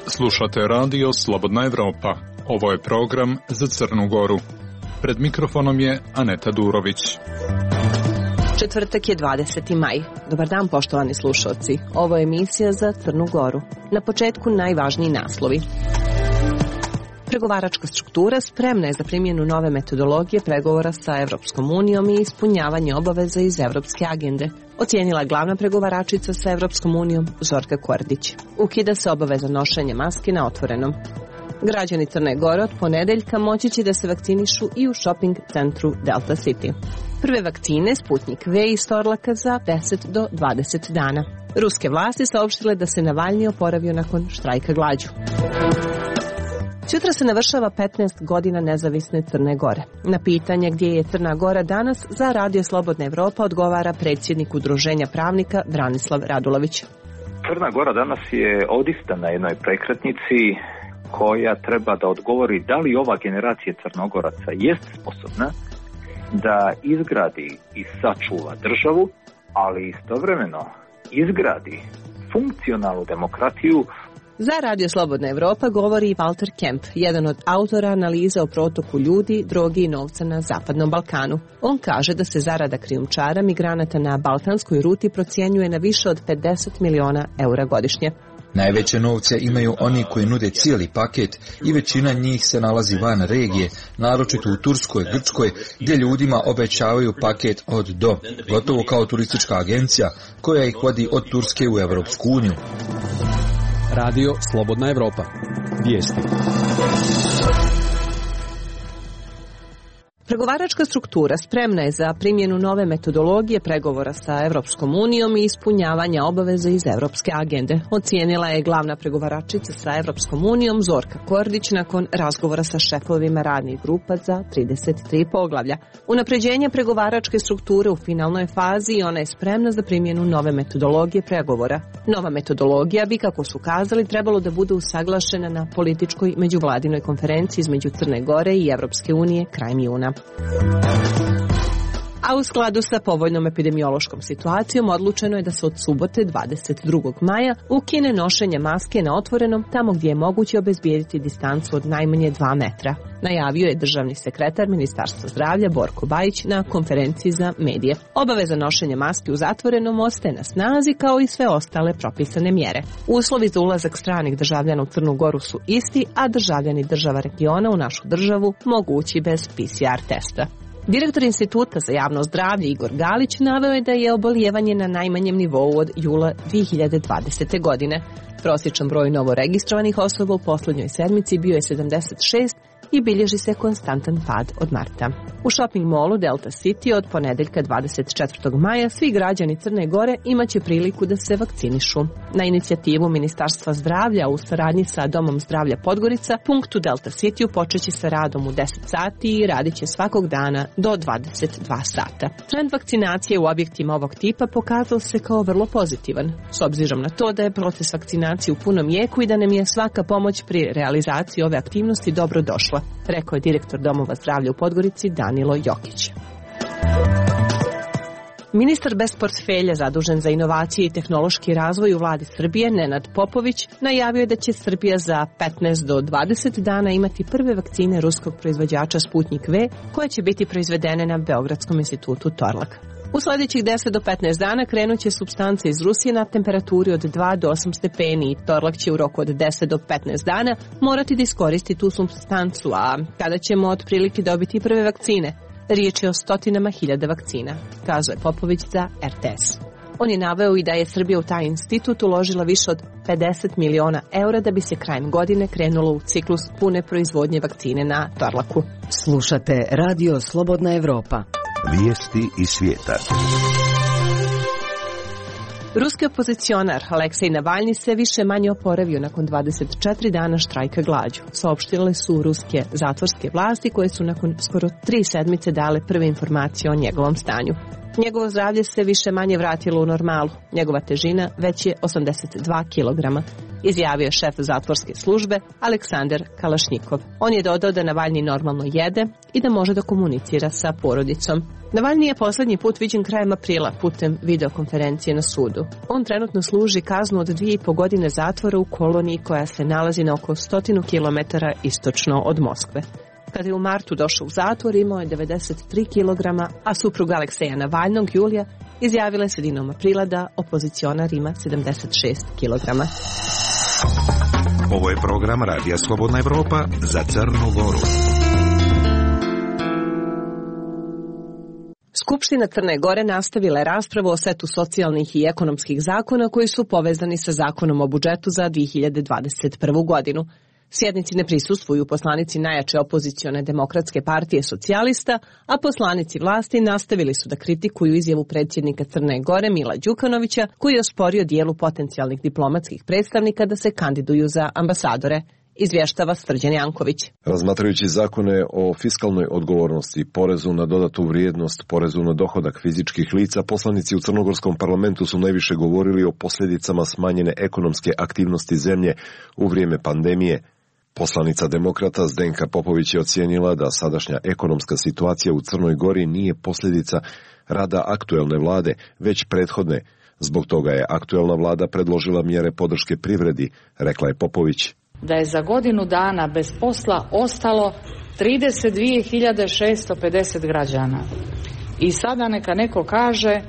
Slušate radio Slobodna Evropa. Ovo je program za Crnu Goru. Pred mikrofonom je Aneta Durović. Četvrtak je 20. maj. Dobar dan, poštovani slušalci. Ovo je emisija za Crnu Goru. Na početku najvažniji naslovi. Pregovaračka struktura spremna je za primjenu nove metodologije pregovora sa Evropskom unijom i ispunjavanje obaveza iz Evropske agende, ocijenila glavna pregovaračica sa Evropskom unijom Zorka Kordić. Ukida se obaveza nošenja maske na otvorenom. Građani Crne Gore od ponedeljka moći će da se vakcinišu i u shopping centru Delta City. Prve vakcine Sputnik V iz Torlaka za 10 do 20 dana. Ruske vlasti saopštile da se Navalni oporavio nakon štrajka glađu. Sutra se navršava 15 godina nezavisne Crne Gore. Na pitanje gdje je Crna Gora danas za Radio Slobodna Evropa odgovara predsjednik Udruženja pravnika Branislav Radulović. Crna Gora danas je odista na jednoj prekretnici koja treba da odgovori da li ova generacija Crnogoraca jest sposobna da izgradi i sačuva državu, ali istovremeno izgradi funkcionalnu demokratiju. Za Radio Slobodna Evropa govori Walter Kemp, jedan od autora analize o protoku ljudi, droge i novca na Zapadnom Balkanu. On kaže da se zarada krijumčara migranata na balkanskoj ruti procjenjuje na više od 50 miliona eura godišnje. Najveće novce imaju oni koji nude cijeli paket i većina njih se nalazi van regije, naročito u Turskoj, Grčkoj, gdje ljudima obećavaju paket od do, gotovo kao turistička agencija koja ih vodi od Turske u Evropsku uniju. Radio Slobodna Evropa. Vijesti. Pregovaračka struktura spremna je za primjenu nove metodologije pregovora sa Evropskom unijom i ispunjavanja obaveza iz Evropske agende, ocijenila je glavna pregovaračica sa Evropskom unijom Zorka Kordić nakon razgovora sa šefovima radnih grupa za 33 poglavlja. Unapređenje pregovaračke strukture u finalnoj fazi i ona je spremna za primjenu nove metodologije pregovora. Nova metodologija bi, kako su kazali, trebalo da bude usaglašena na političkoj međuvladinoj konferenciji između Crne Gore i Evropske unije krajem juna. A u skladu sa povoljnom epidemiološkom situacijom odlučeno je da se od subote 22. maja ukine nošenje maske na otvorenom tamo gdje je moguće obezbijediti distancu od najmanje 2 metra. Najavio je državni sekretar Ministarstva zdravlja Borko Bajić na konferenciji za medije. Obaveza nošenja maske u zatvorenom ostaje na snazi kao i sve ostale propisane mjere. Uslovi za ulazak stranih državljana u Crnu Goru su isti, a državljani država regiona u našu državu mogu ući bez PCR testa. Direktor Instituta za javno zdravlje Igor Galić naveo je da je obolijevanje na najmanjem nivou od jula 2020. godine. Prosječan broj novoregistrovanih osoba u posljednjoj sedmici bio je 76 i bilježi se konstantan pad od marta. U shopping mallu Delta City od ponedeljka 24. maja svi građani Crne Gore imaće priliku da se vakcinišu. Na inicijativu Ministarstva zdravlja u saradnji sa Domom zdravlja Podgorica, punkt u Delta Cityu počeće sa radom u 10 sati i radit će svakog dana do 22 sata. Trend vakcinacije u objektima ovog tipa pokazao se kao vrlo pozitivan, s obzirom na to da je proces vakcinacije u punom jeku i da nam je svaka pomoć pri realizaciji ove aktivnosti dobro došla, rekao je direktor Domova zdravlja u Podgorici Danilo Jokić. Ministar bez portfelja zadužen za inovacije i tehnološki razvoj u vladi Srbije, Nenad Popović, najavio je da će Srbija za 15 do 20 dana imati prve vakcine ruskog proizvođača Sputnik V, koje će biti proizvedene na Beogradskom institutu Torlak. U sljedećih 10 do 15 dana krenut će supstance iz Rusije na temperaturi od 2 do 8 stepeni i Torlak će u roku od 10 do 15 dana morati da iskoristi tu supstancu, a kada ćemo otprilike dobiti prve vakcine? Riječ je o stotinama hiljada vakcina, kazao je Popović za RTS. On je naveo i da je Srbija u taj institut uložila više od 50 miliona eura da bi se krajem godine krenulo u ciklus pune proizvodnje vakcine na Torlaku. Slušate Radio Slobodna Evropa. Vijesti iz svijeta. Ruski opozicionar Aleksej Navalni se više manje oporavio nakon 24 dana štrajka glađu. Saopštile su ruske zatvorske vlasti koje su nakon skoro 3 sedmice dale prve informacije o njegovom stanju. Njegovo zdravlje se više manje vratilo u normalu. Njegova težina već je 82 kilograma. izjavio je šef zatvorske službe Aleksandar Kalašnjikov. On je dodao da Navalni normalno jede i da može da komunicira sa porodicom. Navalni je poslednji put viđen krajem aprila putem videokonferencije na sudu. On trenutno služi kaznu od 2,5 godine zatvora u koloniji koja se nalazi na oko 100 km istočno od Moskve. Kada je u martu došao u zatvor, imao je 93 kg, a supruga Alekseja Navalnog, Julija, izjavila je sredinom aprila da opozicionar ima 76 kg. Ovo je program Radija Slobodna Evropa za Crnu Goru. Skupština Crne Gore nastavila je raspravu o setu socijalnih i ekonomskih zakona koji su povezani sa zakonom o budžetu za 2021. godinu. Sjednici ne prisustvuju poslanici najjače opozicione Demokratske partije socijalista, a poslanici vlasti nastavili su da kritikuju izjavu predsjednika Crne Gore Mila Đukanovića, koji je osporio dijelu potencijalnih diplomatskih predstavnika da se kandiduju za ambasadore. Izvještava Srđan Janković. Razmatrajući zakone o fiskalnoj odgovornosti, porezu na dodatu vrijednost, porezu na dohodak fizičkih lica, poslanici u Crnogorskom parlamentu su najviše govorili o posljedicama smanjene ekonomske aktivnosti zemlje u vrijeme pandemije. Poslanica Demokrata Zdenka Popović je ocijenila da sadašnja ekonomska situacija u Crnoj Gori nije posljedica rada aktuelne vlade, već prethodne. Zbog toga je aktuelna vlada predložila mjere podrške privredi, rekla je Popović. Da je za godinu dana bez posla ostalo 32.650 građana. I sada neka neko kaže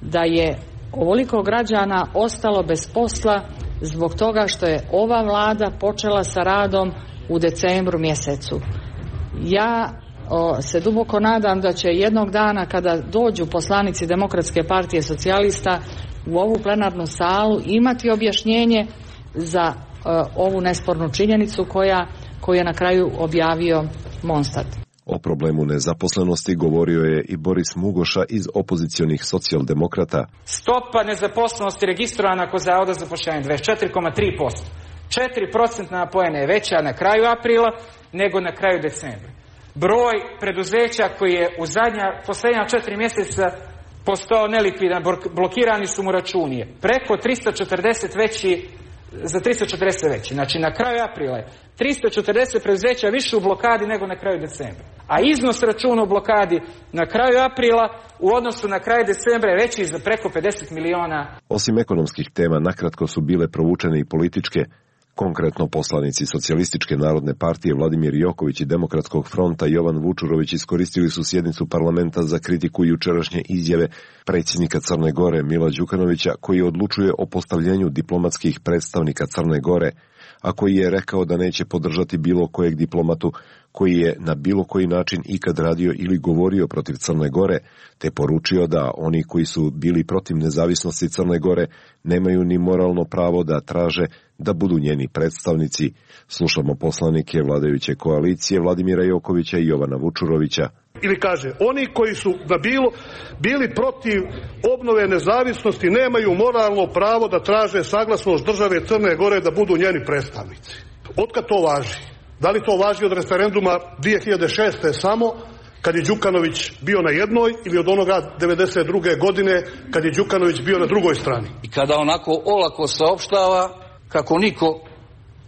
da je ovoliko građana ostalo bez posla zbog toga što je ova vlada počela sa radom u decembru mjesecu. Ja se duboko nadam da će jednog dana kada dođu poslanici Demokratske partije socijalista u ovu plenarnu salu imati objašnjenje za ovu nespornu činjenicu koju je na kraju objavio Monstat. O problemu nezaposlenosti govorio je i Boris Mugoša iz opozicionih socijaldemokrata. Stopa nezaposlenosti registrovana kod Zavoda za zapošljavanje 24,3%. 4% poena je veća na kraju aprila nego na kraju decembra. Broj preduzeća koji je u posljednja 4 mjeseca postao nelikvidan, blokirani su mu računi. Preko 340 veći, za 340 veći. Znači na kraju aprila je 340 preduzeća više u blokadi nego na kraju decembra. A iznos računa u blokadi na kraju aprila u odnosu na kraj decembra je veći za preko 50 miliona. Osim ekonomskih tema, nakratko su bile provučene i političke. Konkretno poslanici Socijalističke narodne partije Vladimir Joković i Demokratskog fronta Jovan Vučurović iskoristili su sjednicu parlamenta za kritiku jučerašnje izjave predsjednika Crne Gore Mila Đukanovića, koji odlučuje o postavljenju diplomatskih predstavnika Crne Gore, a koji je rekao da neće podržati bilo kojeg diplomatu koji je na bilo koji način ikad radio ili govorio protiv Crne Gore, te poručio da oni koji su bili protiv nezavisnosti Crne Gore nemaju ni moralno pravo da traže da budu njeni predstavnici. Slušamo poslanike vladajuće koalicije Vladimira Jokovića i Jovana Vučurovića. Ili kaže, oni koji su bili protiv obnove nezavisnosti nemaju moralno pravo da traže saglasnost države Crne Gore da budu njeni predstavnici. Otkad to važi? Da li to važi od referenduma 2006. samo kad je Đukanović bio na jednoj ili od onoga 92. godine kad je Đukanović bio na drugoj strani? I kada onako olako saopštava kako niko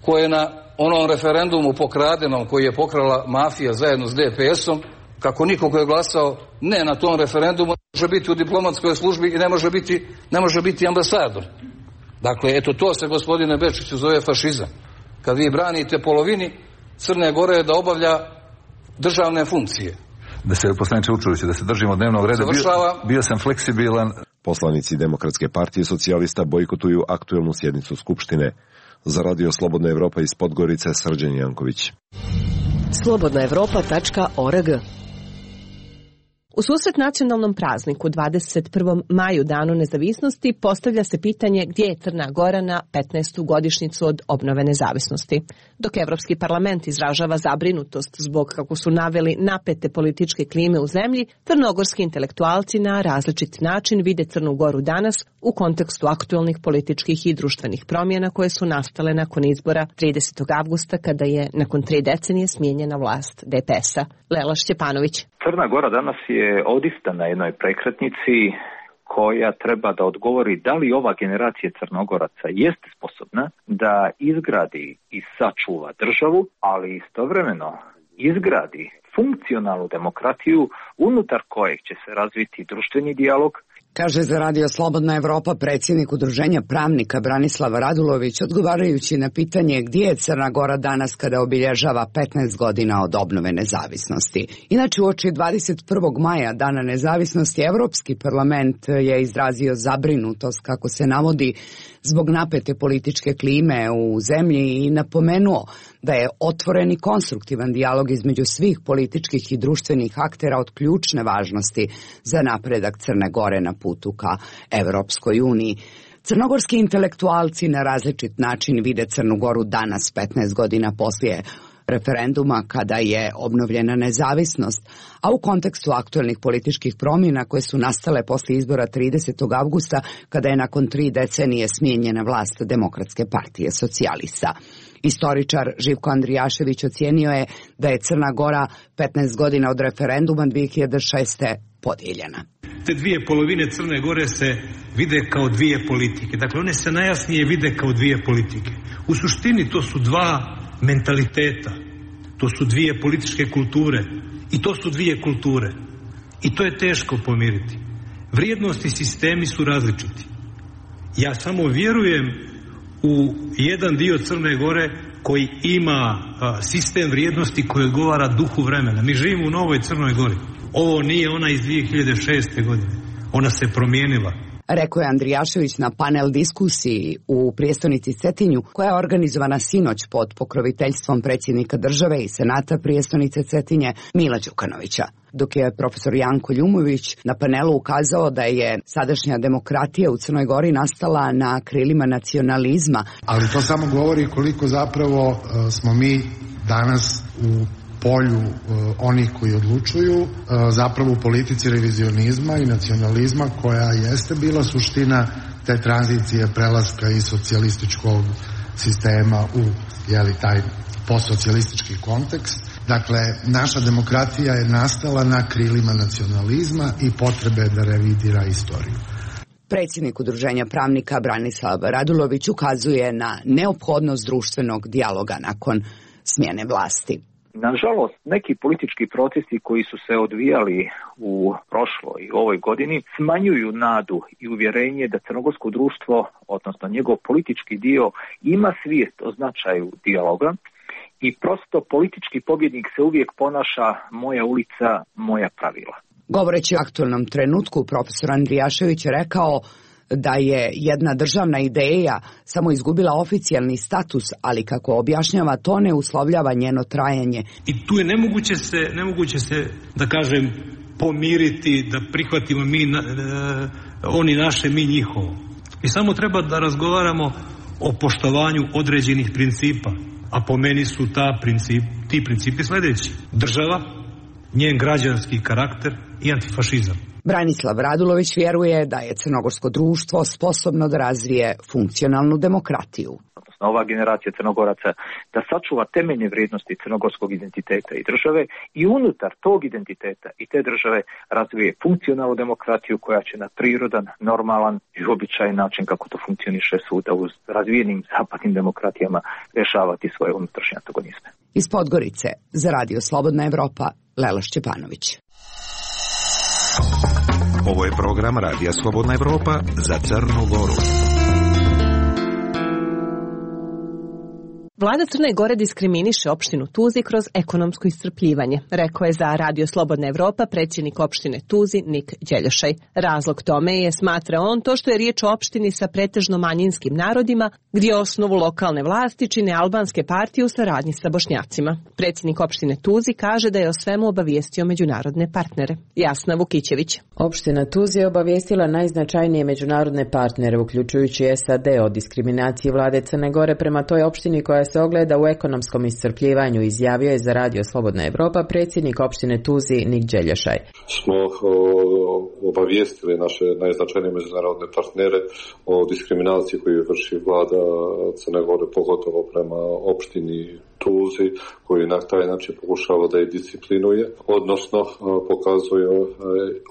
ko je na onom referendumu pokradenom koji je pokrala mafija zajedno s DPS-om, kako niko ko je glasao ne na tom referendumu može biti u diplomatskoj službi i ne može biti ambasador. Dakle, eto to se, gospodine Bečiću, zove fašizam. Kad vi branite polovini Crne Gore da obavlja državne funkcije. Da se, poslaniče Vučuroviću, da se držimo dnevnog reda, bio sam fleksibilan. Poslanici Demokratske partije socijalista bojkotuju aktuelnu sjednicu Skupštine. Za Radio Slobodna Evropa iz Podgorice, Srđan Janković. slobodnaevropa.org. U susret nacionalnom prazniku 21. maju, danu nezavisnosti, postavlja se pitanje gdje je Crna Gora na 15. godišnjicu od obnove nezavisnosti. Dok Evropski parlament izražava zabrinutost zbog, kako su naveli, napete političke klime u zemlji, crnogorski intelektualci na različit način vide Crnu Goru danas u kontekstu aktualnih političkih i društvenih promjena koje su nastale nakon izbora 30. avgusta kada je nakon 3 decenije smijenjena vlast DPS-a. Lela Šćepanović. Crna Gora danas je odista na jednoj prekretnici koja treba da odgovori da li ova generacija Crnogoraca jeste sposobna da izgradi i sačuva državu, ali istovremeno izgradi funkcionalnu demokratiju unutar kojeg će se razviti društveni dijalog. Kaže za Radio Slobodna Evropa predsjednik Udruženja pravnika Branislav Radulović, odgovarajući na pitanje gdje je Crna Gora danas kada obilježava 15 godina od obnove nezavisnosti. Inače, uoči 21. maja, Dana nezavisnosti, Evropski parlament je izrazio zabrinutost, kako se navodi, zbog napete političke klime u zemlji i napomenuo da je otvoren i konstruktivan dijalog između svih političkih i društvenih aktera od ključne važnosti za napredak Crne Gore na putu ka Evropskoj uniji. Crnogorski intelektualci na različit način vide Crnu Goru danas, 15 godina poslije referenduma kada je obnovljena nezavisnost, a u kontekstu aktuelnih političkih promjena koje su nastale poslije izbora 30. avgusta kada je nakon 3 decenije smijenjena vlast Demokratske partije socijalista. Istoričar Živko Andrijašević ocijenio je da je Crna Gora 15 godina od referenduma 2006. podijeljena. Te dvije polovine Crne Gore se vide kao dvije politike. Dakle, one se najjasnije vide kao dvije politike. U suštini to su dva mentaliteta, to su dvije političke kulture i to su dvije kulture. I to je teško pomiriti. Vrijednosti i sistemi su različiti. Ja samo vjerujem u jedan dio Crne Gore koji ima sistem vrijednosti koji odgovara duhu vremena. Mi živimo u novoj Crnoj Gori. Ovo nije ona iz 2006. godine. Ona se promijenila. Rekao je Andrijašević na panel diskusiji u prijestolnici Cetinju, koja je organizovana sinoć pod pokroviteljstvom predsjednika države i senata prijestolnice Cetinje Mila Đukanovića. Dok je profesor Janko Ljumović na panelu ukazao da je sadašnja demokratija u Crnoj Gori nastala na krilima nacionalizma. Ali to samo govori koliko zapravo smo mi danas u polju onih koji odlučuju, zapravo u politici revizionizma i nacionalizma koja jeste bila suština te tranzicije prelaska iz socijalističkog sistema u taj postsocijalistički kontekst. Dakle, naša demokratija je nastala na krilima nacionalizma i potrebe da revidira istoriju. Predsjednik Udruženja pravnika Branislav Radulović ukazuje na neophodnost društvenog dijaloga nakon smjene vlasti. Nažalost, neki politički procesi koji su se odvijali u prošloj i ovoj godini smanjuju nadu i uvjerenje da crnogorsko društvo, odnosno njegov politički dio, ima svijest o značaju dijaloga i prosto politički pobjednik se uvijek ponaša moja ulica, moja pravila. Govoreći o aktualnom trenutku, profesor Andrijašević je rekao da je jedna državna ideja samo izgubila oficijalni status, ali kako objašnjava, to ne uslovljava njeno trajanje. I tu je nemoguće se, da kažem, pomiriti, da prihvatimo oni naše, mi njihovo. I samo treba da razgovaramo o poštovanju određenih principa, a po meni su ti principi sljedeći: država, njen građanski karakter i antifašizam. Branislav Radulović vjeruje da je crnogorsko društvo sposobno da razvije funkcionalnu demokratiju. Ova generacija Crnogoraca da sačuva temeljne vrijednosti crnogorskog identiteta i države i unutar tog identiteta i te države razvije funkcionalnu demokratiju koja će na prirodan, normalan i običajan način, kako to funkcioniše svuda u razvijenim zapadnim demokratijama, rješavati svoje unutrašnje antagonizme. Iz Podgorice za Radio Slobodna Evropa, Lela Šćepanović. Ovo je program Radija Slobodna Evropa za Crnu Goru. Vlada Crne Gore diskriminiše opštinu Tuzi kroz ekonomsko iscrpljivanje, rekao je za Radio Slobodna Evropa predsjednik opštine Tuzi Nik Đeljošaj. Razlog tome je, smatra on, to što je riječ o opštini sa pretežno manjinskim narodima, gdje osnovu lokalne vlasti čine albanske partije u saradnji sa Bošnjacima. Predsjednik opštine Tuzi kaže da je o svemu obavijestio međunarodne partnere. Jasna Vukićević. Opština Tuzi je obavijestila najznačajnije međunarodne partnere, uključujući SAD, o diskriminaciji vlade Crne Gore prema toj opštini koja se ogleda u ekonomskom iscrpljivanju, izjavio je za Radio Slobodna Evropa predsjednik opštine Tuzi Nik Đeljošaj. Smo obavijestili naše najznačajnije međunarodne partnere o diskriminaciji koju vrši vlada Crne Gore, pogotovo prema opštini Tuzi, koji na taj način pokušava da je disciplinuje, odnosno pokazuje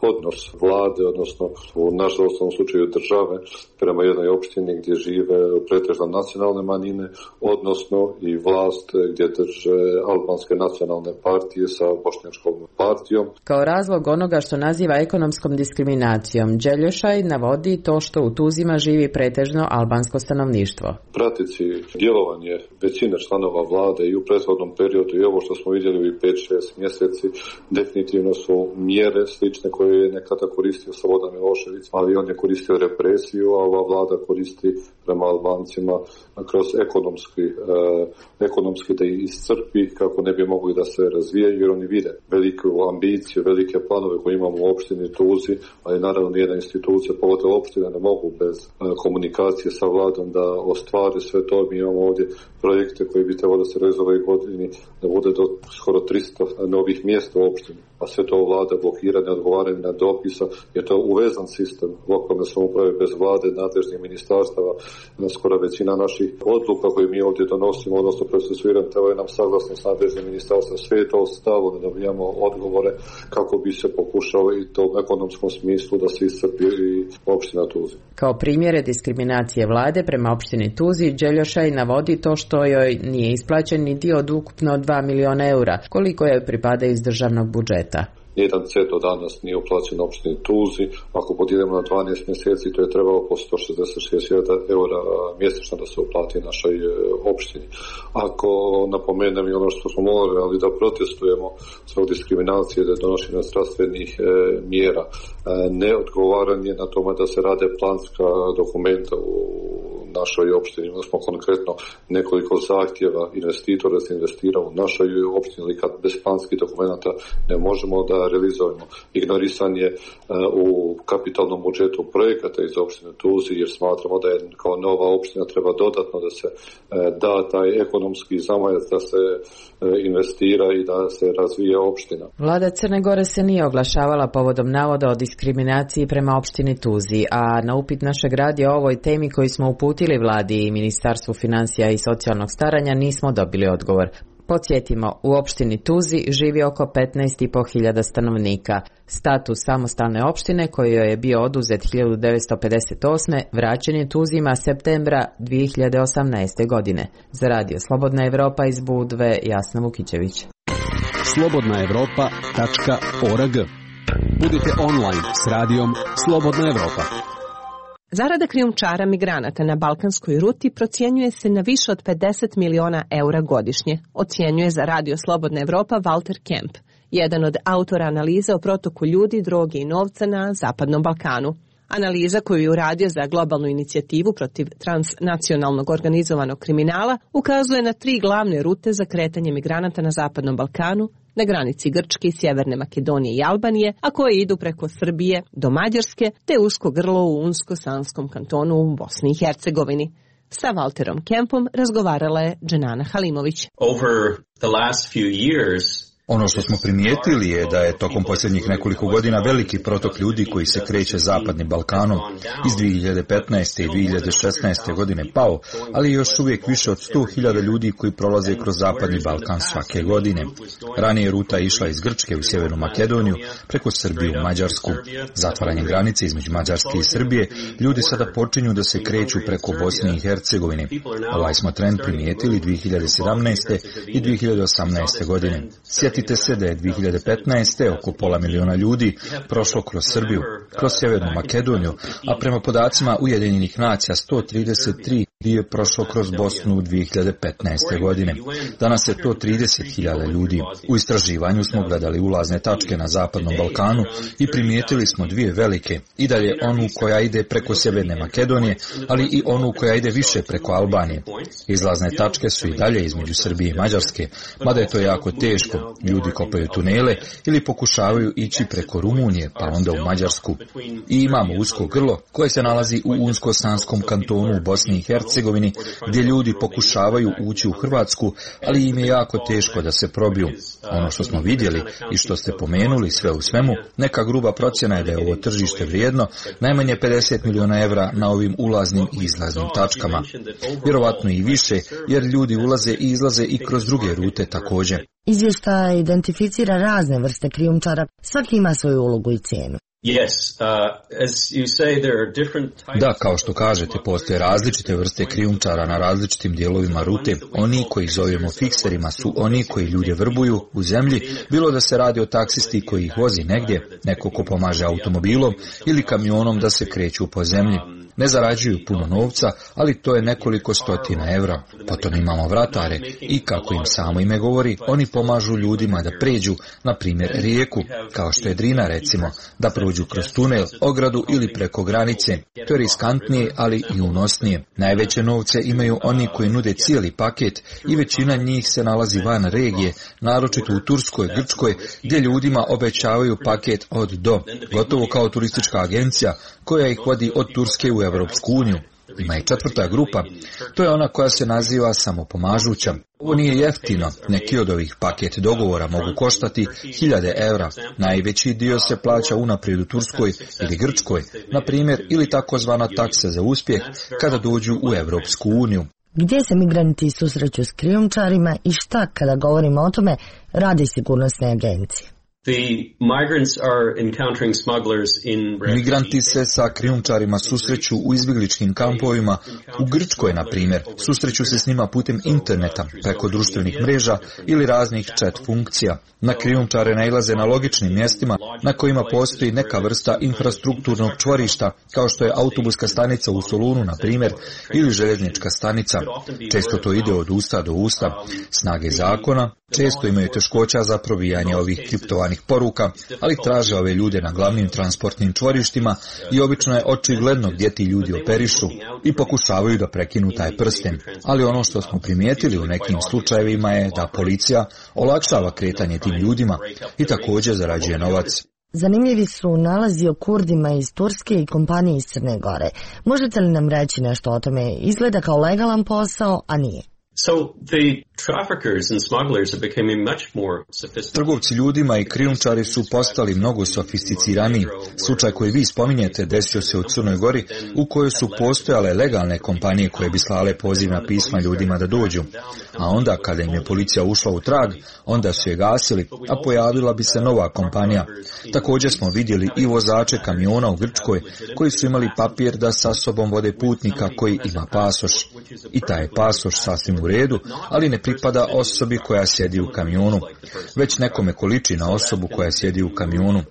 odnos vlade, odnosno u našem slučaju države, prema jednoj opštini gdje žive pretežno nacionalne manjine, odnosno i vlast gdje drže albanske nacionalne partije sa bošnjačkom partijom. Kao razlog onoga što naziva ekonomskom diskriminacijom, Đeljošaj navodi to što u Tuzima živi pretežno albansko stanovništvo. Pratici djelovanje većine članova vlade i u prethodnom periodu i ovo što smo vidjeli u 5-6 mjeseci definitivno su mjere slične koje je nekada koristio Slobodan Milošević, ali on je koristio represiju, a ova vlada koristi prema Albancima kroz ekonomski da ih iscrpi kako ne bi mogli da se razvijaju, jer oni vide veliku ambiciju, velike planove koje imamo u opštini Tuzi, ali naravno nijedna institucija, pogotovo opština, ne mogu bez komunikacije sa vladom da ostvari sve to. Mi imamo ovdje projekte koji bi trebalo da se realizuje ove godini, da bude do skoro 300 novih mjesta u opštini, a sve to vlada blokira, ne odgovaranje na dopisa, jer to je uvezan sistem lokalne samouprave bez vlade, nadležnih ministarstava. Skoro većina naših odluka koje mi ovdje donosimo, odnosno procesuiramo, trebaju nam saglasnost nadležnih ministarstva. Sve je to stalo, da dobijamo odgovore kako bi se pokušao i to u ekonomskom smislu da se iscrpi i opština Tuzi. Kao primjere diskriminacije vlade prema opštini Tuzi, Đeljošaj navodi to što joj nije isplaćen ni dio od ukupno 2 miliona eura, koliko joj pripada iz državnog budžeta. Nijedan cent do danas nije uplaćen opštini Tuzi. Ako podijelimo na 12 mjeseci, to je trebalo po 166.000 eura mjesečno da se uplati našoj opštini. Ako napomenem i ono što smo morali da protestujemo zbog diskriminacije, da je donošenje zdravstvenih mjera, neodgovaranje na tome da se rade planska dokumenta u našoj opštini. Imali smo konkretno nekoliko zahtjeva investitora da se investira u našoj opštini, ali kad bez planskih dokumenta ne možemo da realizujemo. Ignorisanje u kapitalnom budžetu projekata iz opštine Tuzi, jer smatramo da je kao nova opština treba dodatno da se da taj ekonomski zamajac, da se investira i da se razvije opština. Vlada Crne Gore se nije oglašavala povodom navoda o diskriminaciji prema opštini Tuzi, a na upit našeg radija o ovoj temi koji smo uputili vladi i Ministarstvu financija i socijalnog staranja nismo dobili odgovor. Podsjetimo, u opštini Tuzi živi oko 15.500 stanovnika. Status samostalne opštine koji joj je bio oduzet 1958. vraćen je Tuzima septembra 2018. godine. Za Radio Slobodna Evropa iz Budve, Jasna Vukićević. slobodnaevropa.org. Budite online s radijom Slobodna Evropa. Zarada krijumčara migranata na balkanskoj ruti procjenjuje se na više od 50 miliona eura godišnje, ocjenjuje za Radio Slobodna Evropa Walter Kemp, jedan od autora analize o protoku ljudi, droge i novca na Zapadnom Balkanu. Analiza koju je uradio za globalnu inicijativu protiv transnacionalnog organizovanog kriminala ukazuje na 3 glavne rute za kretanje migranata na Zapadnom Balkanu, na granici Grčke i Sjeverne Makedonije i Albanije, a koje idu preko Srbije do Mađarske, te usko grlo u Unsko-Sanskom kantonu u Bosni i Hercegovini. Sa Walterom Kempom razgovarala je Dženana Halimović. Over the last few years, ono što smo primijetili je da je tokom posljednjih nekoliko godina veliki protok ljudi koji se kreće Zapadnim Balkanom iz 2015. i 2016. godine pao, ali još uvijek više od 100.000 ljudi koji prolaze kroz Zapadni Balkan svake godine. Ranije ruta je išla iz Grčke u Sjevernu Makedoniju preko Srbije u Mađarsku. Zatvaranjem granice između Mađarske i Srbije, ljudi sada počinju da se kreću preko Bosne i Hercegovine. Ovaj smo trend primijetili 2017. i 2018. godine. Sjetite se da je 2015. oko pola miliona ljudi prošlo kroz Srbiju, kroz Sjevernu Makedoniju, a prema podacima Ujedinjenih nacija 133 je prošlo kroz Bosnu u 2015. godine. Danas je to 30.000 ljudi. U istraživanju smo gledali ulazne tačke na Zapadnom Balkanu i primijetili smo 2 velike. I dalje onu koja ide preko Sjeverne Makedonije, ali i onu koja ide više preko Albanije. Izlazne tačke su i dalje između Srbije i Mađarske, mada je to jako teško. Ljudi kopaju tunele ili pokušavaju ići preko Rumunije, pa onda u Mađarsku. I imamo usko grlo koje se nalazi u Unsko-Sanskom kantonu u Bosni i Hercegovini, Hercegovini, gdje ljudi pokušavaju ući u Hrvatsku, ali im je jako teško da se probiju. Ono što smo vidjeli i što ste pomenuli, sve u svemu, neka gruba procjena je da je ovo tržište vrijedno najmanje 50 milijuna evra na ovim ulaznim i izlaznim tačkama. Vjerovatno i više, jer ljudi ulaze i izlaze i kroz druge rute također. Izvještaj identificira razne vrste krijumčara, svaki ima svoju ulogu i cijenu. Da, kao što kažete, postoje različite vrste krijumčara na različitim dijelovima rute. Oni koji zovemo fikserima su oni koji ljude vrbuju u zemlji, bilo da se radi o taksisti koji ih vozi negdje, neko ko pomaže automobilom ili kamionom da se kreću po zemlji. Ne zarađuju puno novca, ali to je nekoliko stotina evra. Potom imamo vratare i, kako im samo ime govori, oni pomažu ljudima da pređu, na primjer, rijeku, kao što je Drina recimo, da prođu kroz tunel, ogradu ili preko granice. To je riskantnije, ali i unosnije. Najveće novce imaju oni koji nude cijeli paket i većina njih se nalazi van regije, naročito u Turskoj, Grčkoj, gdje ljudima obećavaju paket od do, gotovo kao turistička agencija koja ih vodi od Turske u Evropsku uniju. Ima i četvrta grupa, to je ona koja se naziva samopomažuća. Ovo nije jeftino, neki od ovih paket dogovora mogu koštati 1000 evra. Najveći dio se plaća unaprijed u Turskoj ili Grčkoj, na primjer, ili takozvana taksa za uspjeh kada dođu u Evropsku uniju. Gdje se migranti susreću s krijumčarima i šta, kada govorimo o tome, radi sigurnosne agencije? Migranti se sa krijumčarima susreću u izbjegličkim kampovima. U Grčkoj, na primjer, susreću se s njima putem interneta, preko društvenih mreža ili raznih chat funkcija. Na krijumčare nailaze na logičnim mjestima na kojima postoji neka vrsta infrastrukturnog čvorišta, kao što je autobuska stanica u Solunu, na primjer, ili željeznička stanica. Često to ide od usta do usta. Snage zakona često imaju teškoća za probijanje ovih kriptovanih poruka, ali traže ove ljude na glavnim transportnim čvorištima i obično je očigledno gdje ti ljudi operišu i pokušavaju da prekinu taj prsten. Ali ono što smo primijetili u nekim slučajevima je da policija olakšava kretanje tim ljudima i također zarađuje novac. Zanimljivi su nalazi o Kurdima iz Turske i kompanije iz Crne Gore. Možete li nam reći nešto o tome? Izgleda kao legalan posao, a nije. Trgovci ljudima i krijumčari su postali mnogo sofisticiraniji. Slučaj koji vi spominjete desio se u Crnoj Gori, u kojoj su postojale legalne kompanije koje bi slale pozivna pisma ljudima da dođu. A onda, kada im je policija ušla u trag, onda su je gasili, a pojavila bi se nova kompanija. Također smo vidjeli i vozače kamiona u Grčkoj, koji su imali papir da sa sobom vode putnika koji ima pasoš. I taj je pasoš sasvim u redu, ali ne pripada osobi koja sjedi u kamionu, već nekome ko liči na osobu koja sjedi u kamionu,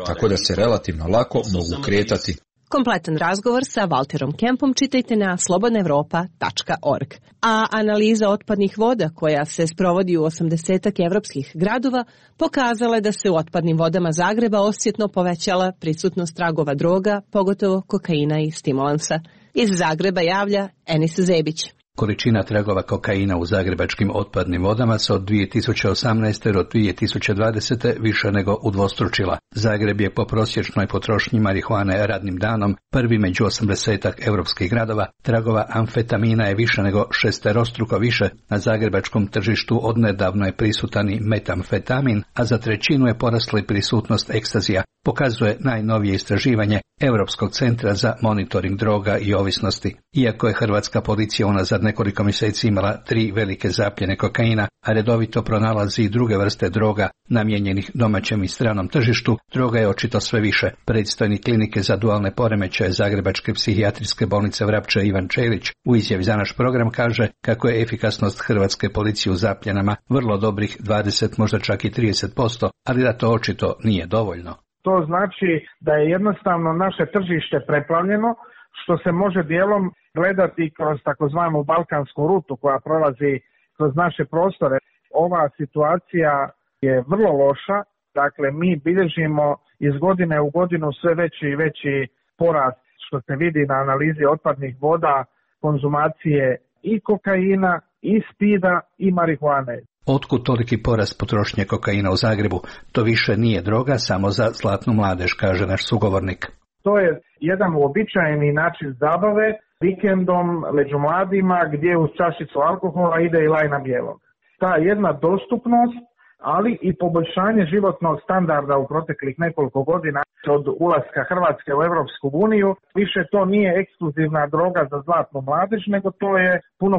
tako da se relativno lako mogu kretati. Kompletan razgovor sa Walterom Kempom čitajte na slobodnaevropa.org. A analiza otpadnih voda koja se sprovodi u 80 evropskih gradova pokazala je da se u otpadnim vodama Zagreba osjetno povećala prisutnost tragova droga, pogotovo kokaina i stimulansa. Iz Zagreba javlja Enis Zebić. Količina tragova kokaina u zagrebačkim otpadnim vodama se od 2018. do 2020. više nego udvostručila. Zagreb je po prosječnoj potrošnji marihuane radnim danom prvi među 80 europskih gradova. Tragova amfetamina je više nego šesterostruko više. Na zagrebačkom tržištu odnedavno je prisutan i metamfetamin, a za trećinu je porasla i prisutnost ekstazija, pokazuje najnovije istraživanje Europskog centra za monitoring droga i ovisnosti. Iako je hrvatska policija unazad nekoliko mjeseci imala 3 velike zapljene kokaina, a redovito pronalazi i druge vrste droga namijenjenih domaćem i stranom tržištu, droga je očito sve više. Predstojnik klinike za dualne poremećaje Zagrebačke psihijatrijske bolnice Vrapče Ivan Čelić u izjavi za naš program kaže kako je efikasnost hrvatske policije u zapljenama vrlo dobrih 20, možda čak i 30%, ali da to očito nije dovoljno. To znači da je jednostavno naše tržište preplavljeno, što se može dijelom gledati kroz takozvanu balkansku rutu koja prolazi kroz naše prostore. Ova situacija je vrlo loša, dakle mi bilježimo iz godine u godinu sve veći i veći porast, što se vidi na analizi otpadnih voda, konzumacije i kokaina, i spida, i marihuane. Otkud toliki porast potrošnje kokaina u Zagrebu? To više nije droga samo za zlatnu mladež, kaže naš sugovornik. To je jedan uobičajeni način zabave vikendom među mladima gdje uz čašicu alkohola ide i lajna bijelog. Ta jedna dostupnost, ali i poboljšanje životnog standarda u proteklih nekoliko godina od ulaska Hrvatske u Europsku uniju, više to nije ekskluzivna droga za zlatnu mladež, nego to je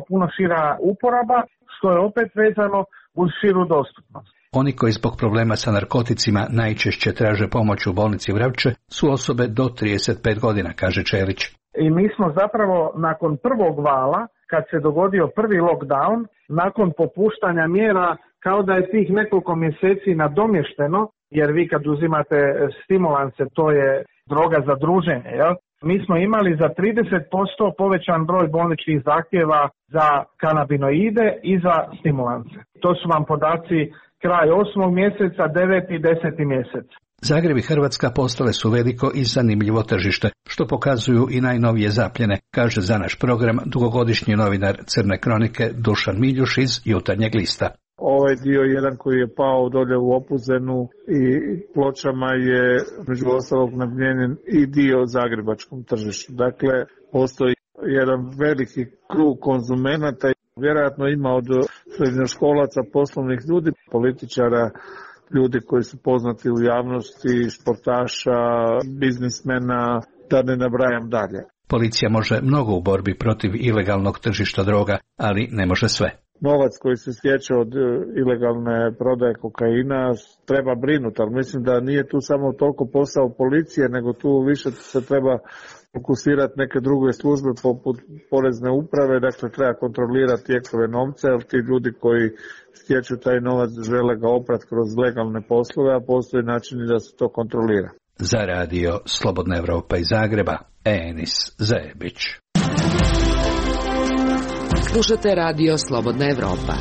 puno šira uporaba, što je opet vezano uz širu dostupnost. Oni koji zbog problema sa narkoticima najčešće traže pomoć u bolnici Vrapče su osobe do 35 godina, kaže Čelić. I mi smo zapravo nakon prvog vala, kad se dogodio prvi lockdown, nakon popuštanja mjera, kao da je tih nekoliko mjeseci nadomješteno, jer vi kad uzimate stimulanse, to je droga za druženje, jel? Mi smo imali za 30% povećan broj bolničkih zahtjeva za kanabinoide i za stimulanse. To su vam podaci kraj 8. mjeseca, 9. i 10. mjesec. Zagreb i Hrvatska postale su veliko i zanimljivo tržište, što pokazuju i najnovije zapljene, kaže za naš program dugogodišnji novinar Crne kronike Dušan Miljuš iz Jutarnjeg lista. Ovaj dio jedan koji je pao dolje u Opuzenu i Pločama je među ostalog namijenjen i dio zagrebačkom tržištu. Dakle, postoji jedan veliki krug konzumenata, vjerojatno ima od srednjoškolaca, poslovnih ljudi, političara, ljudi koji su poznati u javnosti, sportaša, biznismena, da ne nabrajam dalje. Policija može mnogo u borbi protiv ilegalnog tržišta droga, ali ne može sve. Novac koji se stječe od ilegalne prodaje kokaina treba brinuti, ali mislim da nije tu samo toliko posao policije, nego tu više se treba fokusirati neke druge službe poput porezne uprave, dakle treba kontrolirati tijekove novca, jer ti ljudi koji stječu taj novac žele ga oprati kroz legalne poslove, a postoji načini da se to kontrolira. Za radio Slobodna Evropa iz Zagreba, Enis Zebić. Slušate radio Slobodna Evropa.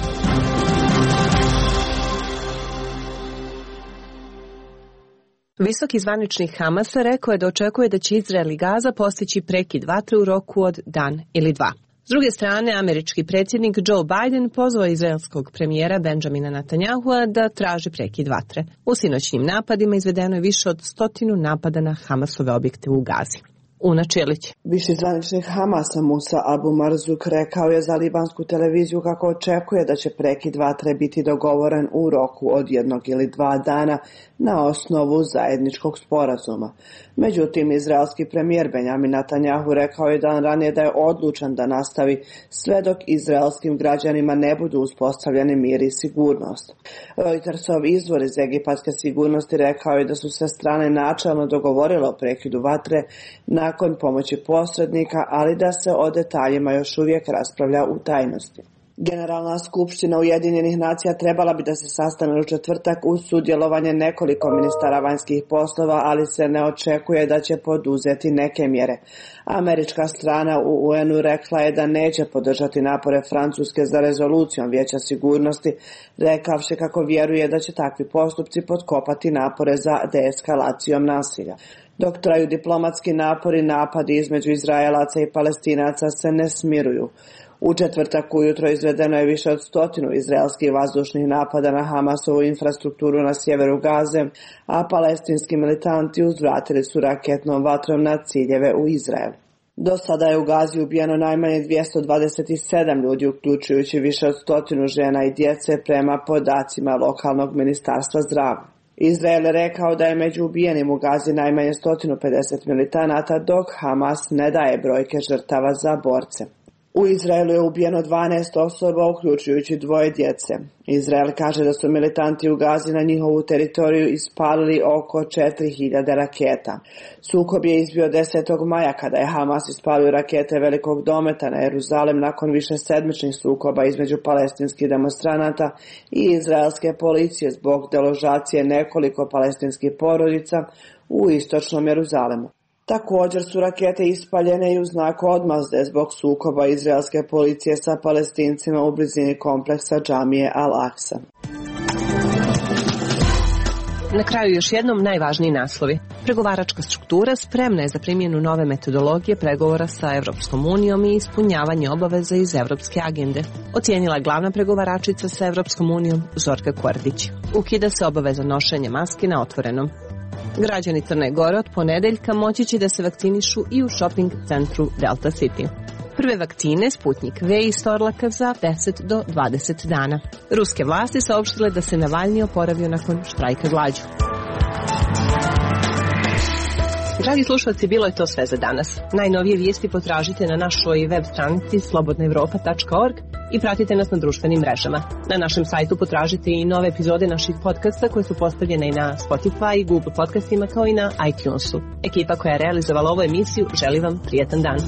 Visoki zvaničnik Hamasa rekao je da očekuje da će Izrael i Gaza postići prekid vatre u roku od dan ili dva. S druge strane, američki predsjednik Joe Biden pozvao izraelskog premijera Benjamina Netanyahua da traži prekid vatre. U sinoćnim napadima izvedeno je više od 100 napada na Hamasove objekte u Gazi. Una Čelić. Viši zvaničnik Hamasa Musa Abu Marzuk rekao je za libansku televiziju kako očekuje da će prekid vatre biti dogovoren u roku od 1 ili 2 dana na osnovu zajedničkog sporazuma. Međutim, izraelski premijer Benjamin Netanyahu rekao je dan ranije da je odlučan da nastavi sve dok izraelskim građanima ne budu uspostavljeni mir i sigurnost. Reutersov izvor iz egipatske sigurnosti rekao je da su sve strane načelno dogovorile o prekidu vatre nakon pomoći posrednika, ali da se o detaljima još uvijek raspravlja u tajnosti. Generalna skupština Ujedinjenih nacija trebala bi da se sastane u četvrtak uz sudjelovanje nekoliko ministara vanjskih poslova, ali se ne očekuje da će poduzeti neke mjere. Američka strana u UN-u rekla je da neće podržati napore Francuske za rezolucijom Vijeća sigurnosti, rekavši kako vjeruje da će takvi postupci potkopati napore za deeskalacijom nasilja. Dok traju diplomatski napori, napadi između Izraelaca i Palestinaca se ne smiruju. U četvrtak ujutro izvedeno je više od 100 izraelskih vazdušnih napada na Hamasovu infrastrukturu na sjeveru Gaze, a palestinski militanti uzvratili su raketnom vatrom na ciljeve u Izrael. Do sada je u Gazi ubijeno najmanje 227 ljudi, uključujući više od 100 žena i djece prema podacima lokalnog ministarstva zdravlja. Izrael je rekao da je među ubijenim u Gazi najmanje 150 militanata, dok Hamas ne daje brojke žrtava za borce. U Izraelu je ubijeno 12 osoba, uključujući 2 djece. Izrael kaže da su militanti u Gazi na njihovu teritoriju ispalili oko 4000 raketa. Sukob je izbio 10. maja kada je Hamas ispalio rakete velikog dometa na Jeruzalem nakon višesedmičnih sukoba između palestinskih demonstranata i izraelske policije zbog deložacije nekoliko palestinskih porodica u istočnom Jeruzalemu. Također su rakete ispaljene i u znaku odmazde zbog sukoba izraelske policije sa Palestincima u blizini kompleksa džamije Al-Aqsa. Na kraju još jednom najvažniji naslovi. Pregovaračka struktura spremna je za primjenu nove metodologije pregovora sa Evropskom unijom i ispunjavanje obaveza iz Evropske agende, ocijenila glavna pregovaračica sa Evropskom unijom Zorka Kordić. Ukida se obaveza nošenja maske na otvorenom. Građani Crne Gore od ponedeljka moći će da se vakcinišu i u shopping centru Delta City. Prve vakcine Sputnik V iz Torlaka za 10 do 20 dana. Ruske vlasti saopštile da se Navalni oporavio nakon štrajka glađu. Dragi slušalci, bilo je to sve za danas. Najnovije vijesti potražite na našoj web stranici slobodnaevropa.org i pratite nas na društvenim mrežama. Na našem sajtu potražite i nove epizode naših podcasta koje su postavljene i na Spotify, Google podcastima kao i na iTunesu. Ekipa koja je realizovala ovu emisiju želi vam prijetan dan.